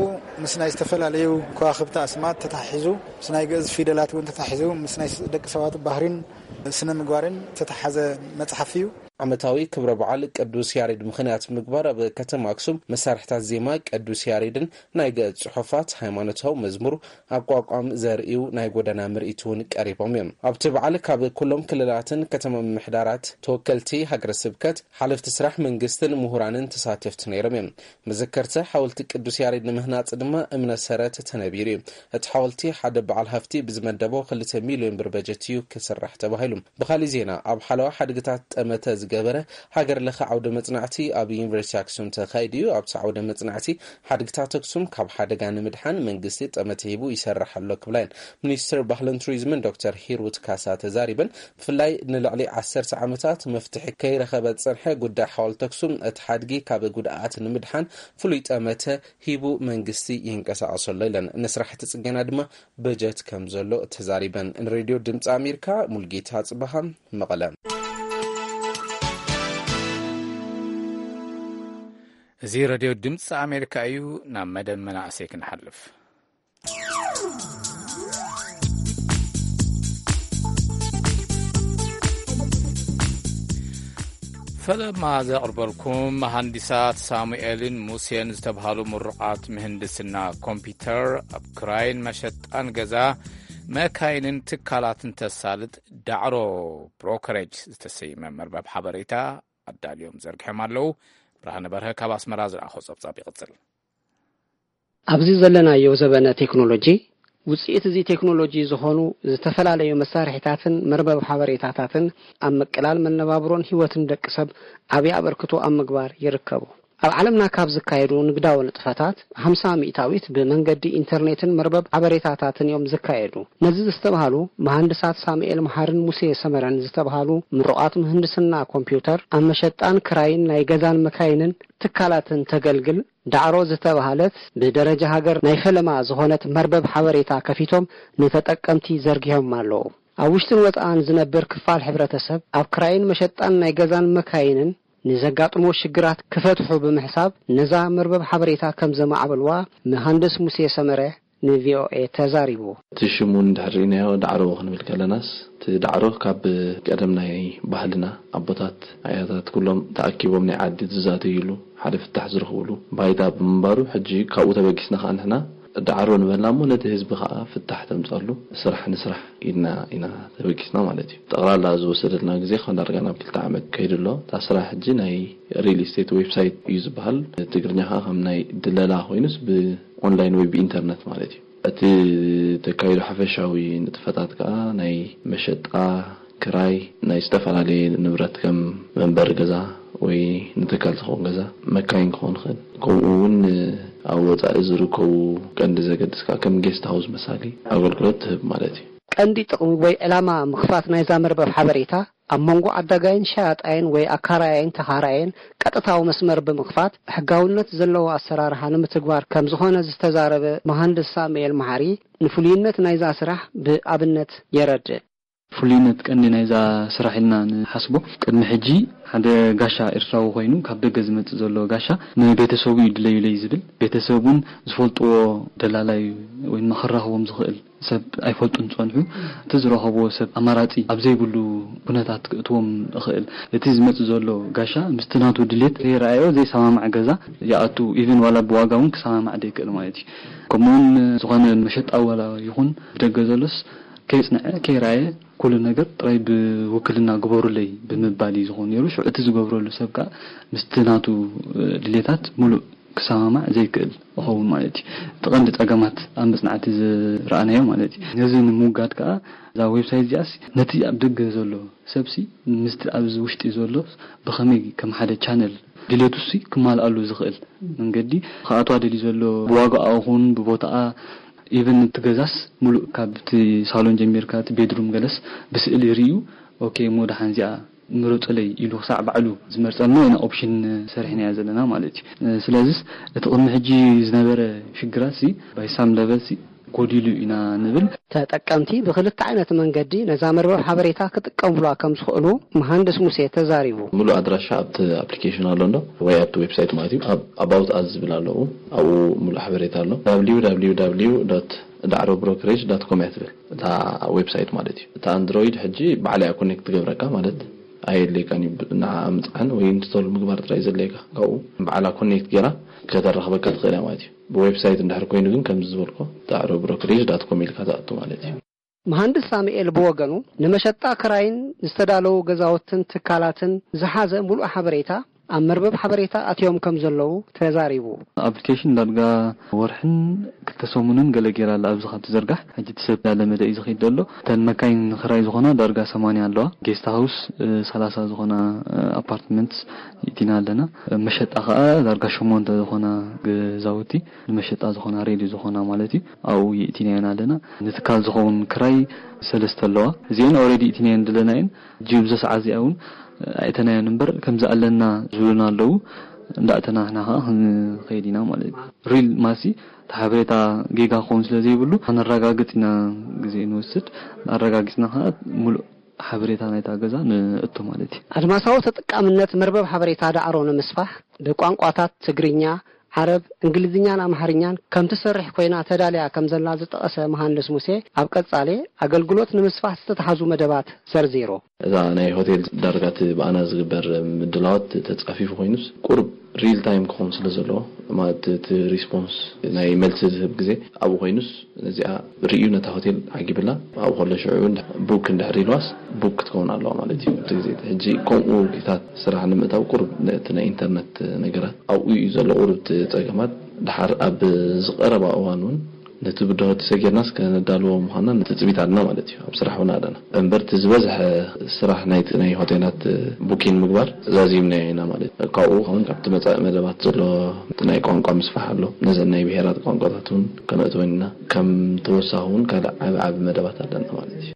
ምስ ናይ ዝተፈላለዩ ከዋክብቲ ኣስማት ተታሒዙ፣ ምስ ናይ ግእዝ ፊደላት እውን ተታሒዙ፣ ምስ ናይ ስ-፣ ደቂ ሰባት ባህሪን ስነ ምግባርን ዝተተሓዘ መጽሓፍ እዩ። ዓመታዊ ክብረ በዓል ቅዱስ ያሬድ ምኽንያት ምግባር፣ ኣብ ከተማ ኣክሱም መሳርሕታት ዜማ ቅዱስ ያሬድን ናይ ግእዝ ጽሑፋት፣ ሃይማኖታዊ መዝሙር፣ ኣቋቋም ዘርእዩ ናይ ጎደና ምርኢት እውን ቀሪቦም እዮም። ኣብቲ በዓል ካብ ኩሎም ክልላትን ከተማ ምምሕዳራት፣ ተወከልቲ ሃገረ ስብከት፣ ሓለፍቲ ስራሕ መንግስትን ምሁራንን ተሳተፍቲ ነይሮም እዮም። መዘከርታ ሓወልቲ ቅዱስ ያሬድ ንምህናጽ ድማ እምነ ሰረት ተነቢሩ እዩ። እቲ ሓወልቲ ሓደ በዓል ሃፍቲ ብዝመደቦ ክልተ ሚልዮን ብር በጀት እዩ ክስራሕ ተባሂሉ። ብኻሊእ ዜና፣ ኣብ ሓለዋ ሓድግታት ጠመተ ዝገበረ ሃገር ለኸ ዓውደ መጽናዕቲ ኣብ ዩኒቨርሲቲ ኣክሱም ተኻይዱ እዩ። ኣብቲ ዓውደ መጽናዕቲ ሓድግታት ኣክሱም ካብ ሓደጋ ንምድሓን መንግስቲ ጠመተ ሂቡ ይሰርሕ ኣሎ ክብላ እየን ሚኒስትር ባህልን ቱሪዝምን ዶክተር ሂሩት ካሳ ተዛሪበን። ብፍላይ ንልዕሊ ዓሰርተ ዓመታት መፍትሒ ከይረኸበ ዝጸንሐ ጉዳይ ሓወልቲ ኣክሱም፣ እቲ ሓድጊ ካብ ጉድኣት ንምድሓን ፍሉይ ጠመተ ሂቡ መንግስቲ ይንቀሳቐሰሉ ኢለን። ንስራሕቲ ጽገና ድማ በጀት ከም ዘሎ ተዛሪበን። ንሬድዮ ድምፂ ኣሜሪካ ሙልጌታ ጽበሃ፣ መቐለ። እዚ ሬድዮ ድምፂ ኣሜሪካ እዩ። ናብ መደብ መናእሰይ ክንሓልፍ። ፈለማ ዘቕርበልኩም መሃንዲሳት ሳሙኤልን ሙሴን ዝተብሃሉ ምሩቓት ምህንድስና ኮምፒውተር ኣብ ክራይን መሸጣን ገዛ መካይንን ትካላትን ተሳልጥ ዳዕሮ ብሮከሬጅ ዝተሰይመ መርበብ ሓበሬታ ኣዳልዮም ዘርጊሖም ኣለዉ። ብርሃነ በርሀ ካብ ኣስመራ ዝለኣኾ ጸብጻብ ይቕጽል። ኣብዚ ዘለናዮ ዘበነ ቴክኖሎጂ፣ ውጽኢት እዚ ቴክኖሎጂ ዝኾኑ ዝተፈላለዩ መሳርሒታትን መርበብ ሓበሬታታትን ኣብ ምቅላል መነባብሮን ህይወትን ደቂ ሰብ ዓቢ ኣበርክቶ ኣብ ምግባር ይርከቡ። ኣብ ዓለምና ካብ ዝካየዱ ንግዳዊ ንጥፈታት፣ ሓምሳ ሚእታዊት ብመንገዲ ኢንተርኔትን መርበብ ሓበሬታታትን እዮም ዝካየዱ። ነዚ ዝተባህሉ መሃንድሳት ሳሙኤል መሓርን ሙሴ ሰመረን ዝተባህሉ ምሩቓት ምህንድስና ኮምፒውተር፣ ኣብ መሸጣን ክራይን ናይ ገዛን መካይንን ትካላትን ተገልግል ዳዕሮ ዝተባህለት ብደረጃ ሃገር ናይ ፈለማ ዝኾነት መርበብ ሓበሬታ ከፊቶም ንተጠቀምቲ ዘርጊሖም ኣለዉ። ኣብ ውሽጥን ወጻእን ዝነብር ክፋል ሕብረተሰብ ኣብ ክራይን መሸጣን ናይ ገዛን መካይንን ንዘጋጥሞ ሽግራት ክፈትሑ ብምሕሳብ ነዛ መርበብ ሓበሬታ ከም ዘማዕበልዋ መሃንድስ ሙሴ ሰመረ ንቪኦኤ ተዛሪቡ። እቲ ሽሙ እንድሕር ርኢናዮ ዳዕሮ ክንብል ከለናስ፣ እቲ ዳዕሮ ካብ ቀደም ናይ ባህልና ኣቦታት ኣያታት ኩሎም ተኣኪቦም ናይ ዓዲ ዝዛተይሉ ሓደ ፍታሕ ዝረኽብሉ ባይታ ብምንባሩ፣ ሕጂ ካብኡ ተበጊስና ከዓ ንሕና ዳዕሮ ንበልና እሞ ነቲ ህዝቢ ከዓ ፍታሕ ተምፀሉ ስራሕ ንስራሕ ኢልና ኢና ተበጊስና ማለት እዩ። ጠቕላላ ዝወሰደልና ግዜ ካብ ዳርጋ ናብ ክልተ ዓመት ከይዱ ኣሎ። እታ ስራሕ ሕጂ ናይ ሪል ስቴት ዌብሳይት እዩ ዝበሃል። ትግርኛ ከዓ ከም ናይ ድለላ ኮይኑስ ብኦንላይን ወይ ብኢንተርነት ማለት እዩ። እቲ ተካይዶ ሓፈሻዊ ንጥፈታት ከዓ ናይ መሸጣ፣ ክራይ ናይ ዝተፈላለየ ንብረት ከም መንበሪ ገዛ ወይ ንትካል ዝኸውን ገዛ፣ መካይን ክኸውን ይኽእል። ከምኡ እውን ኣብ ወፃኢ ዝርከቡ ቀንዲ ዘገድስ ከዓ ከም ጌስት ሃውስ መሳሊ ኣገልግሎት ትህብ ማለት እዩ። ቀንዲ ጥቕሚ ወይ ዕላማ ምኽፋት ናይዛ መርበብ ሓበሬታ ኣብ መንጎ ዓዳጋይን ሸያጣይን ወይ ኣካራያይን ተኻራያይን ቀጥታዊ መስመር ብምኽፋት ሕጋውነት ዘለዎ ኣሰራርሓ ንምትግባር ከም ዝኾነ ዝተዛረበ መሃንድስ ሳሙኤል መሓሪ፣ ንፍሉይነት ናይዛ ስራሕ ብኣብነት የረድእ። ፍሉይነት ቀንዲ ናይዛ ስራሕ ኢልና ንሓስቦ፣ ቅድሚ ሕጂ ሓደ ጋሻ ኤርትራዊ ኮይኑ ካብ ደገ ዝመጽእ ዘሎ ጋሻ ንቤተሰቡ እዩ ድለዩለይ ዝብል፣ ቤተሰብ እውን ዝፈልጥዎ ደላላይ ወይ ድማ ክራኸቦም ዝኽእል ሰብ ኣይፈልጡን ዝጸንሑ። እቲ ዝረኸብዎ ሰብ ኣማራጺ ኣብ ዘይብሉ ኩነታት ክእትዎም ይኽእል። እቲ ዝመጽእ ዘሎ ጋሻ ምስቲ ናቱ ድሌት ዘይረኣዮ ዘይሰማማዕ ገዛ ይኣቱ። ኢቭን ዋላ ብዋጋ እውን ክሰማማዕ ዘይክእል ማለት እዩ። ከምኡውን ዝኾነ መሸጣ ዋላ ይኹን ብደገ ዘሎስ ከይጽንዐ ከይረኣየ ኩሉ ነገር ጥራይ ብውክልና ግበሩለይ ብምባል እዩ ዝኾን ነይሩ። ሽዑ እቲ ዝገብረሉ ሰብ ከኣ ምስቲ ናቱ ድሌታት ሙሉእ ክሰማማዕ ዘይክእል ይኸውን ማለት እዩ። እቲ ቀንዲ ጸገማት ኣብ መጽናዕቲ ዝረኣናዮ ማለት እዩ። ነዚ ንምውጋድ ከኣ እዛ ዌብሳይት እዚኣስ ነቲ ኣብ ደገ ዘሎ ሰብሲ ምስቲ ኣብዚ ውሽጢ ዘሎ ብኸመይ ከም ሓደ ቻነል ድሌቱሲ ክማልኣሉ ዝኽእል መንገዲ ክኣትዋ ደልዩ ዘሎ ብዋጋኣ ይኹን ብቦታኣ ኢቨን እቲ ገዛስ ሙሉእ ካብቲ ሳሎን ጀሚርካ እቲ ቤድሩም ገለስ ብስእሊ ርእዩ ኦኬ እሞ ደሓን እዚኣ ምረጹለይ ኢሉ ክሳዕ ባዕሉ ዝመርጸልና ኢና ኦፕሽን ሰሪሕናያ ዘለና ማለት እዩ። ስለዚስ እቲ ቅድሚ ሕጂ ዝነበረ ሽግራት ሲ ባይ ሳም ለቨል ሲ ጎዲሉ ኢና ንብል። ተጠቀምቲ ብክልተ ዓይነት መንገዲ ነዛ መርበብ ሓበሬታ ክጥቀሙላ ከም ዝኽእሉ መሃንድስ ሙሴ ተዛሪቡ። ሙሉእ ኣድራሻ ኣብቲ ኣፕሊኬሽን ኣሎ እንዶ ወይ ኣብቲ ዌብሳይት ማለት እዩ። ኣብ ኣባውት ኣስ ዝብል ኣለዉ ኣብኡ ሙሉእ ሓበሬታ ኣሎ። www ዳዕሮ ብሮከሬጅ ዳት ኮም እያ ትብል እታ ዌብሳይት ማለት እዩ። እታ ኣንድሮይድ ሕጂ ባዕላ እያ ኮኔክት ትገብረካ ማለት ኣየድልየካን እዩ። ንዓ ምፅዓን ወይ ኢንስቶል ምግባር ጥራይ ዘድልየካ ካብኡ ባዕላ ኮኔክት ገይራ ከተራኽበካ ትኽእል እያ ማለት እዩ። ብዌብሳይት እንድሕር ኮይኑ ግን ከምዚ ዝበልኮ ዳዕሮ ብሮከሬጅ ዳት ኮም ኢልካ ትኣቱ ማለት እዩ። መሃንድስ ሳሙኤል ብወገኑ ንመሸጣ ክራይን ዝተዳለዉ ገዛውትን ትካላትን ዝሓዘ ሙሉእ ሓበሬታ ኣብ መርበብ ሓበሬታ ኣትዮም ከም ዘለዉ ተዛሪቡ። ኣፕሊኬሽን ዳርጋ ወርሕን ክልተ ሰሙንን ገለ ገይራ ኣላ ኣብዚ ካብ ትዝርጋሕ። ሕጂ እቲ ሰብ እንዳለመደ እዩ ዝኸይድ ዘሎ። እተን መካይን ንኽራይ ዝኾና ዳርጋ ሰማንያ ኣለዋ። ጌስት ሃውስ ሰላሳ ዝኾና ኣፓርትመንትስ ይእቲና ኣለና። መሸጣ ኸኣ ዳርጋ ሸሞንተ ዝኾና ገዛውቲ ንመሸጣ ዝኾና ሬዲ ዝኾና ማለት እዩ ኣብኡ ይእቲናየን ኣለና። ንትካል ዝኸውን ክራይ ሰለስተ ኣለዋ። እዚአን ኦልሬዲ ይእቲናየን ድለናየን ሕጂ ብዚ ሰዓት እዚኣ እውን ኣይእተናየን እምበር ከምዚ ኣለና ዝብሉና ኣለዉ። እንዳእተና ንሕና ከዓ ክንኸይድ ኢና ማለት እዩ። ሪል ማሲ እቲ ሓበሬታ ጌጋ ክኸውን ስለ ዘይብሉ ከነረጋግጽ ኢና ግዜ ንወስድ። ኣረጋጊጽና ከዓ ሙሉእ ሓበሬታ ናይታ ገዛ ንእቱ ማለት እዩ። ኣድማሳዊ ተጠቃምነት መርበብ ሓበሬታ ዳዕሮ ንምስፋሕ ብቋንቋታት ትግርኛ፣ ዓረብ፣ እንግሊዝኛን ኣምሓርኛን ከም ትሰርሕ ኮይና ተዳልያ ከም ዘላ ዝጠቐሰ መሃንድስ ሙሴ ኣብ ቀጻሊ ኣገልግሎት ንምስፋሕ ዝተተሓዙ መደባት ዘርዚሩ። እዛ ናይ ሆቴል ዳርጋ እቲ ብኣና ዝግበር ምድላዋት ተጻፊፉ ኮይኑስ ቁሩብ ሪል ታይም ክኸውን ስለ ዘለዎ ማለት እቲ ሪስፖንስ ናይ መልሲ ዝህብ ግዜ ኣብኡ ኮይኑስ ነዚኣ ርእዩ ነታ ሆቴል ዓጊብላ ኣብኡ ከሎ ሽዑ ቡክ እንድሕር ኢልዋስ ቡክ ክትከውን ኣለዋ ማለት እዩ። እቲ ግዜ ሕጂ ከምኡ ጌታት ስራሕ ንምእታው ቁሩብ ነቲ ናይ ኢንተርነት ነገራት ኣብኡ እዩ ዘሎ ቁሩብ እቲ ጸገማት። ድሓር ኣብ ዝቐረባ እዋን እውን ነቲ ብድሆ ተሰጊርናስ ከነዳልዎ ምዃንና ትጽቢት ኣለና ማለት እዩ። ኣብ ስራሕ እውን ኣለና እምበር እቲ ዝበዝሐ ስራሕ ናይቲ ናይ ሆቴላት ቡኪን ምግባር ዛዚምናዮ ኢና ማለት እዩ። ካብኡ እውን ካብቲ መጻኢ መደባት ዘሎ እቲ ናይ ቋንቋ ምስፋሕ ኣሎ። ነዘን ናይ ብሄራት ቋንቋታት እውን ከነእትወን ኢና። ከም ተወሳኺ እውን ካልእ ዓቢ ዓቢ መደባት ኣለና ማለት እዩ።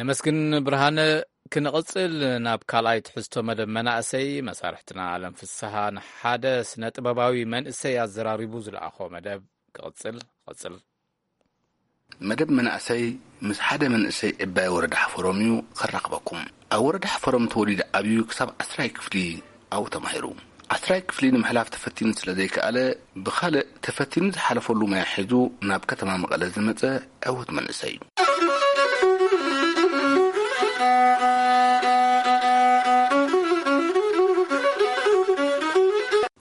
ነመስግን ብርሃነ። ክንቕጽል ናብ ካልኣይ ትሕዝቶ መደብ መናእሰይ መሳርሕትና ኣለም ፍስሃ ንሓደ ስነ ጥበባዊ መንእሰይ ኣዘራሪቡ ዝለኣኾ መደብ ክቕጽል። ቐጽል። መደብ መናእሰይ ምስ ሓደ መንእሰይ ዕባይ ወረዳ ሓፈሮም እዩ ከራኽበኩም። ኣብ ወረዳ ሓፈሮም ተወሊዱ ዓብዩ ክሳብ ዓስራይ ክፍሊ ኣብኡ ተማሂሩ። ዓስራይ ክፍሊ ንምሕላፍ ተፈቲኑ ስለ ዘይከኣለ ብኻልእ ተፈቲኑ ዝሓለፈሉ ሞያ ሒዙ ናብ ከተማ መቐለ ዝመጸ ዕዉት መንእሰይ እዩ።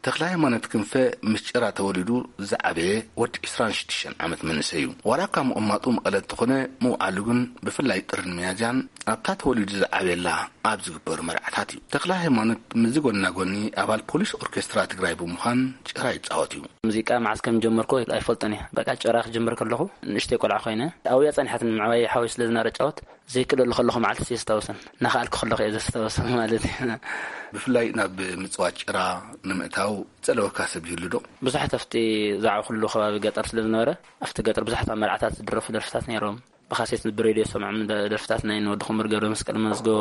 ተኽለ ሃይማኖት ክንፈ ምስ ጭራ ተወሊዱ ዝዓበየ ወዲ ዕስራን ሽዱሽተን ዓመት መንእሰይ እዩ። ዋላ እኳ ምቕማጡ መቐለ እንተኾነ ምውዓሉ ግን ብፍላይ ጥርን ሚያዝያን ኣብታ ተወሊዱ ዝዓበየላ ኣብ ዝግበሩ መርዓታት እዩ። ተኽለ ሃይማኖት ምስዚ ጎና ጎኒ ኣባል ፖሊስ ኦርኬስትራ ትግራይ ብምዃን ጭራ ይጻወት እዩ። ሙዚቃ መዓስ ከም ጀመርኩ ኣይፈልጦን እየ። በቃ ጭራ ክጅምር ከለኹ ንእሽተይ ቆልዓ ኮይነ ኣብያ ጸኒሓትኒ ምዕባይ ሓወይ ስለ ዝነበረ ጫወት ዘይክእለሉ ከለኹ መዓልቲ የስታውሰን። እናኸኣልኩ ከለኹ እየ ዘስታውሰን ማለት እዩ። ብፍላይ ናብ ምጽዋት ጭራ ንምእታው ጸለወካ ሰብ ይህሉ ዶ? ብዙሓት ኣብቲ ዝዓበኹሉ ከባቢ ገጠር ስለ ዝነበረ ኣብቲ ገጠር ብዙሓት ኣብ መርዓታት ዝድረፉ ደርፍታት ነይሮም። ብካሴት ብሬድዮ ሰምዖም፣ ደርፍታት ናይ ንወዲ ክምር ገብረ መስቀል መዝገቦ፣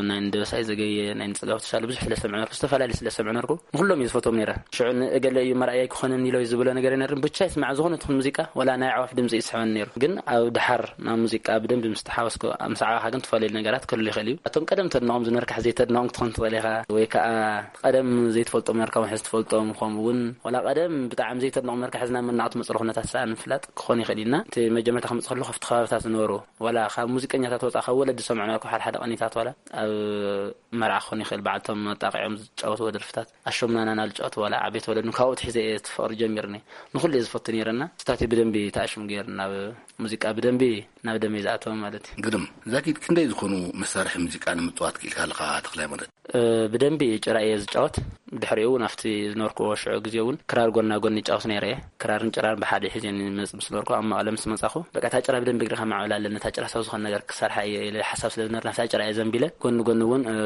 ናይ ንደበሳይ ዘገየ፣ ናይ ንጽጋብ ተሻለ ብዙሕ ስለ ሰምዕ ነርኩ፣ ዝተፈላለዩ ስለ ሰምዕ ነርኩ፣ ንኩሎም እየ ዝፈትዎም ነይረ። ሽዑ ንእገለ እዩ መርኣያ ኣይክኾነን ኢሎ እዩ ዝብሎ ነገር ኣይነርን። ብቻ ይስማዕ፣ ዝኾነ ትኹን ሙዚቃ፣ ወላ ናይ ኣዕዋፍ ድምፂ ይስሕበኒ ነይሩ። ግን ኣብ ድሓር ናብ ሙዚቃ ብደንቢ ምስ ተሓወስኩ፣ ምስ ዓዋኻ ግን ትፈላለዩ ነገራት ክህሉ ይኽእል እዩ። እቶም ቀደም ተድንቖም ዝነበርካ ሕዚ ዘይተድንቖም ክትኾን ትኽእል ኢኻ፣ ወይ ከዓ ቀደም ዘይትፈልጦም ነርካ፣ ሕዚ ትፈልጦም፣ ከምኡ እውን ወላ ቀደም ብጣዕሚ ዘይተድንቖም ነርካ፣ ሕዚ ናብ መናቕ ትመፅሉ ኩነታት ሰኣን ምፍላጥ ክኾን ይኽእል እዩ። እና እቲ መጀመርታ ክመፅእ ከለኹ ኣብቲ ከባብታት ዝነበሩ፣ ዋላ ካብ ሙዚቀኛታት ወፃ፣ ካብ ወለዲ ዝሰምዑ ነርኩ፣ ሓደ ሓደ ቀኒታት ዋላ ኣብ መርዓ ክኾን ይኽእል፣ በዓልቶም መጣቂዖም ዝጫወትዎ ደርፍታት፣ ኣሾምናናና ዝጫወትዎ ዋላ ዓበይቲ ወለድን ካብኡ ትሒዘ እየ እቲ ፍቕሪ ጀሚርኒ። ንኹሉ እየ ዝፈቱ ነይረና። ስታቲ ብደንቢ ተኣሽም ገይርኒ፣ ናብ ሙዚቃ ብደንቢ ናብ ደመይ ዝኣተወ ማለት እዩ። ግርም። ዛጊድ ክንደይ ዝኾኑ መሳርሒ ሙዚቃ ንምጽዋት ክኢልካ ኣለኻ ተኽላይ ማለት? እ፣ ብደንቢ ጭራ እየ ዝጫወት። ድሕሪኡ እውን ኣብቲ ዝነበርኩዎ ሽዑ ግዜ እውን ክራር ጎና ጎኒ ይጫወት ነይረ እየ። ክራርን ጭራን ብሓደ ሒዘ እየ ዝመጽእ ምስ ነበርኩ፣ ኣብ መቐለ ምስ መጻኹ፣ በቃ እታ ጭራ ብደንቢ እግሪ ከማዕብል ኣለኒ፣ እታ ጭራ ሰብ ዝኾነ ነገር ክሰርሓ እየ ኢለ ሓሳብ ስለ ዝነበርና፣ ኣብታ ጭራ እየ ዘንቢለ። ጎኒ ጎኒ እውን፣ እ፣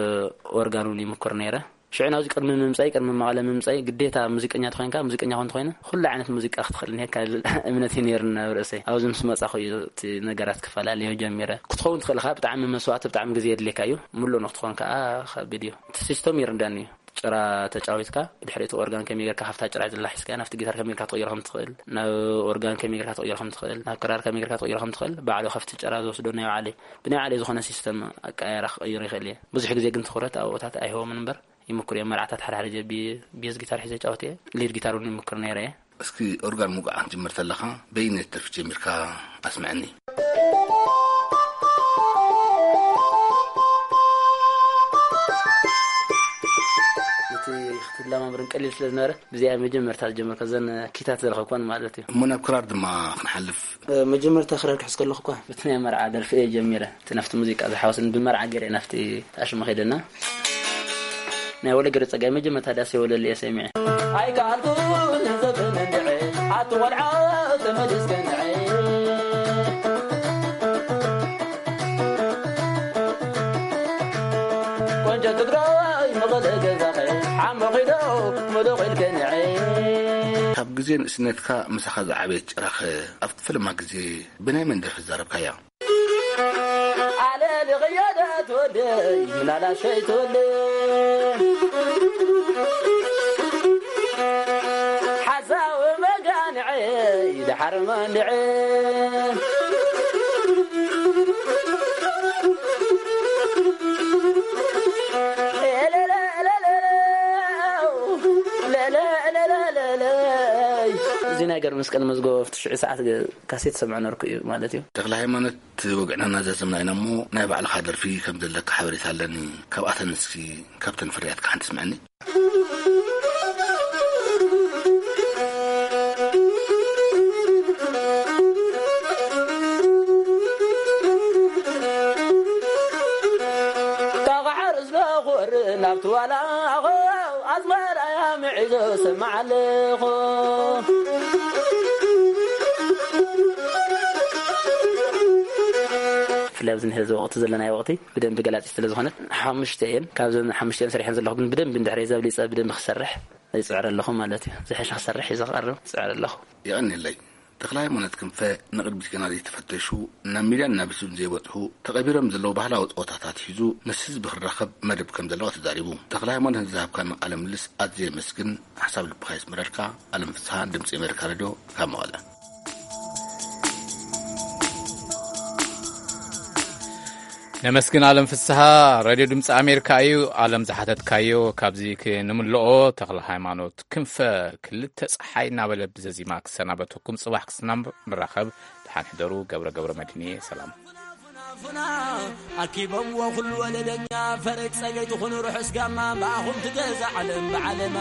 ኦርጋን እውን ይምኩር ነይረ። ሽዑ ናብዚ ቅድሚ ምምጻይ፣ ቅድሚ መቐለ ምምጻይ፣ ግዴታ ሙዚቀኛ ተኾይንካ፣ ሙዚቀኛ ኮን ተኾይነ፣ ኩሉ ዓይነት ሙዚቃ ክትኽእል እኒሄካ ዝብል እምነት እዩ ነይሩኒ ኣብ ርእሰይ። ኣብዚ ምስ መጻኹ እዩ እቲ ነገራት ክፈላለዮ ጀሚረ። ክትኸውን ትኽእል ኢኻ፣ ብጣዕሚ መስዋእቲ፣ ብጣዕሚ ግዜ የድልየካ እዩ። ምሉእ ንክትኾን ከኣ ከቢድ እዩ። እቲ ሲስተም ይርዳኒ እዩ። ጭራ ተጫዊትካ፣ ብድሕሪ እቲ ኦርጋን ከመይ ጌርካ ካብታ ጭራ ዘላ ሒዝካ፣ ናብቲ ጊታር ከመይ ጌርካ ትቕይሮ ከም ትኽእል፣ ናብ ኦርጋን ከመይ ጌርካ ትቕይሮ ከም ትኽእል፣ ናብ ክራር ከመይ ጌርካ ትቕይሮ ከም ትኽእል፣ ባዕሉ ካብቲ ጭራ ዝወስዶ ናይ ባዕለይ፣ ብናይ ባዕለይ ዝኾነ ሲስተም ኣቀያየራ ክቕይሮ ይኽእል እየ። ብዙሕ ግዜ ግን ትኹረት ኣብኡታት ኣይህቦምን እምበር፣ ይምኩር እየ። መርዓታት ሓደ ሓደ ግዜ ቢ-፣ ቤዝ ጊታር ሒዘ ይጫወት እየ። ሊድ ጊታር እውን ይምኩር ነይረ እየ። እስኪ ኦርጋን ምውቃዕ ክትጅምር ተለኻ በየነይቲ ደርፊ ጀሚርካ ኣስምዐኒ። እቲ ክትለማምርን ቀሊል ስለ ዝነበረ፣ ብዚኣ መጀመርታ ዝጀመርካ ዘን ኪታት ዝረኸብኳን ማለት እዩ። እሞ ናብ ክራር ድማ ክንሓልፍ። እ፣ መጀመርታ ክራር ክሕዝ ከለኹ እኳ፣ በቲ ናይ መርዓ ደርፊ እየ ጀሚረ። እቲ ናብቲ ሙዚቃ ዝሓወስን ብመርዓ ገይረ ናብቲ ኣሽሙ ከይደና። ናይ ወለ ገረ ጸጋይ መጀመርታ ዳስ የወለል እየ ሰሚዐ። ኣይከኣልኩን ዘበነ እንድዐ፣ ኣቲ ቆልዓ ተመሊስከ እንድዐ። ቆንጆ ትግራይ መቐለ ገዛኸ፣ ሓሞኺዶ ሙሉቕ ኢልከ እንድዐ። ካብ ግዜ ንእስነትካ ምሳኻ ዝዓበየት ጭራኸ ኣብቲ ፈለማ ግዜ ብናይ መን ደርፊ ዘረብካያ? ኣለ ልኽዮ ዶ ትወደይ ምናላሸይ ትወደይ ሓሳዊ መጋንዐይ ደሓር መንድዐ። እዚ ናይ ገርምስቀል መዝጎ ኣብቲ ሽዑ ሰዓት ካሴት ሰምዖ ነርኩ እዩ ማለት እዩ። ተኽለ ሃይማኖት፣ ወግዕና እናዛዘምና ኢና እሞ፣ ናይ ባዕልኻ ደርፊ ከም ዘለካ ሓበሬታ ኣለኒ። ካብኣተን እስኪ፣ ካብተን ፍርያትካ ሓንቲ ስምዐኒ። ካብ ሓርስ ዶኹር ናብቲ ዋላ ኣዝመራ እያ ምዒዞ ሰማዕ ኣለኹ። ብፍላይ ኣብዚ ንሕዚ ወቕቲ ዘለናዮ ወቕቲ ብደንቢ ገላጺ ስለ ዝኾነት፣ ሓሙሽተ እየን። ካብዘን ሓሙሽተ እየን ሰሪሐን ዘለኹ፣ ግን ብደንቢ እንድሕር ዘብሊጸ ብደንቢ ክሰርሕ ይጽዕር ኣለኹ ማለት እዩ። ዝሐሸ ክሰርሕ እዩ ዝቐርብ፣ ይጽዕር ኣለኹ። የቐንየለይ። ተኽለ ሃይማኖት ክንፈ ንቕድሚት ገና ዘይተፈተሹ፣ ናብ ሚድያን ናብ ዩቱብን ዘይበጽሑ፣ ተቐቢሮም ዘለዉ ባህላዊ ጸወታታት ሒዙ ምስ ህዝቢ ክራኸብ መደብ ከም ዘለዋ ተዛሪቡ። ተኽለ ሃይማኖት ንዝሃብካና ቃለ ምልልስ ኣዝየ የመስግን። ሓሳብ ልብኻ የስምረልካ። ኣለም ፍስሃ፣ ድምጺ ኣሜሪካ ሬድዮ፣ ካብ መቐለ። ነመስግን ኣለም ፍስሃ። ሬድዮ ድምፂ ኣሜሪካ እዩ። ኣለም ዝሓተትካዮ ካብዚ ክንምልኦ፣ ተኽለ ሃይማኖት ክንፈ ክልተ ፀሓይ እናበለ ብዘዚማ ክሰናበተኩም፣ ፅባሕ ክስናብ ንራኸብ። ደሓን ሕደሩ። ገብረ ገብረ መድህን እየ። ሰላም። ፉና ኣኪቦምዎ ኩሉ ወለደኛ፣ ፈረግ ጸገይ ትኹኑ ርሑስ ጋማ፣ ብኣኹም ትገዛ ዓለም ብዓለማ።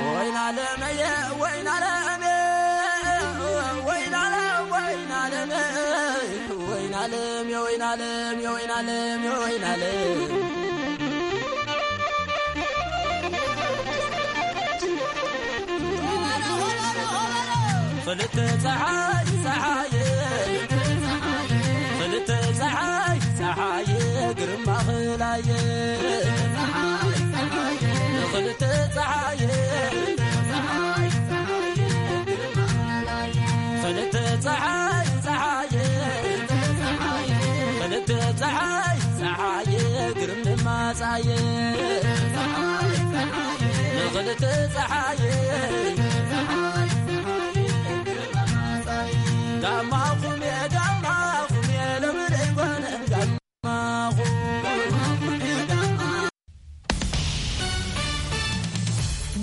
ወይን ዓለመየ፣ ወይን ዓለመየ፣ ወይን ዓለም፣ ወይን ዓለመየ፣ ወይን ዓለም፣ የወይን ዓለም፣ የወይን ዓለም፣ የወይን ዓለም። ክልተ ፀሓይ ፀሓየ፣ ክልተ ፀሓይ ፀሓየ፣ ግርማ ኽላየ። ክልተ ፀሓየ፣ ንኽልተ ፀሓየ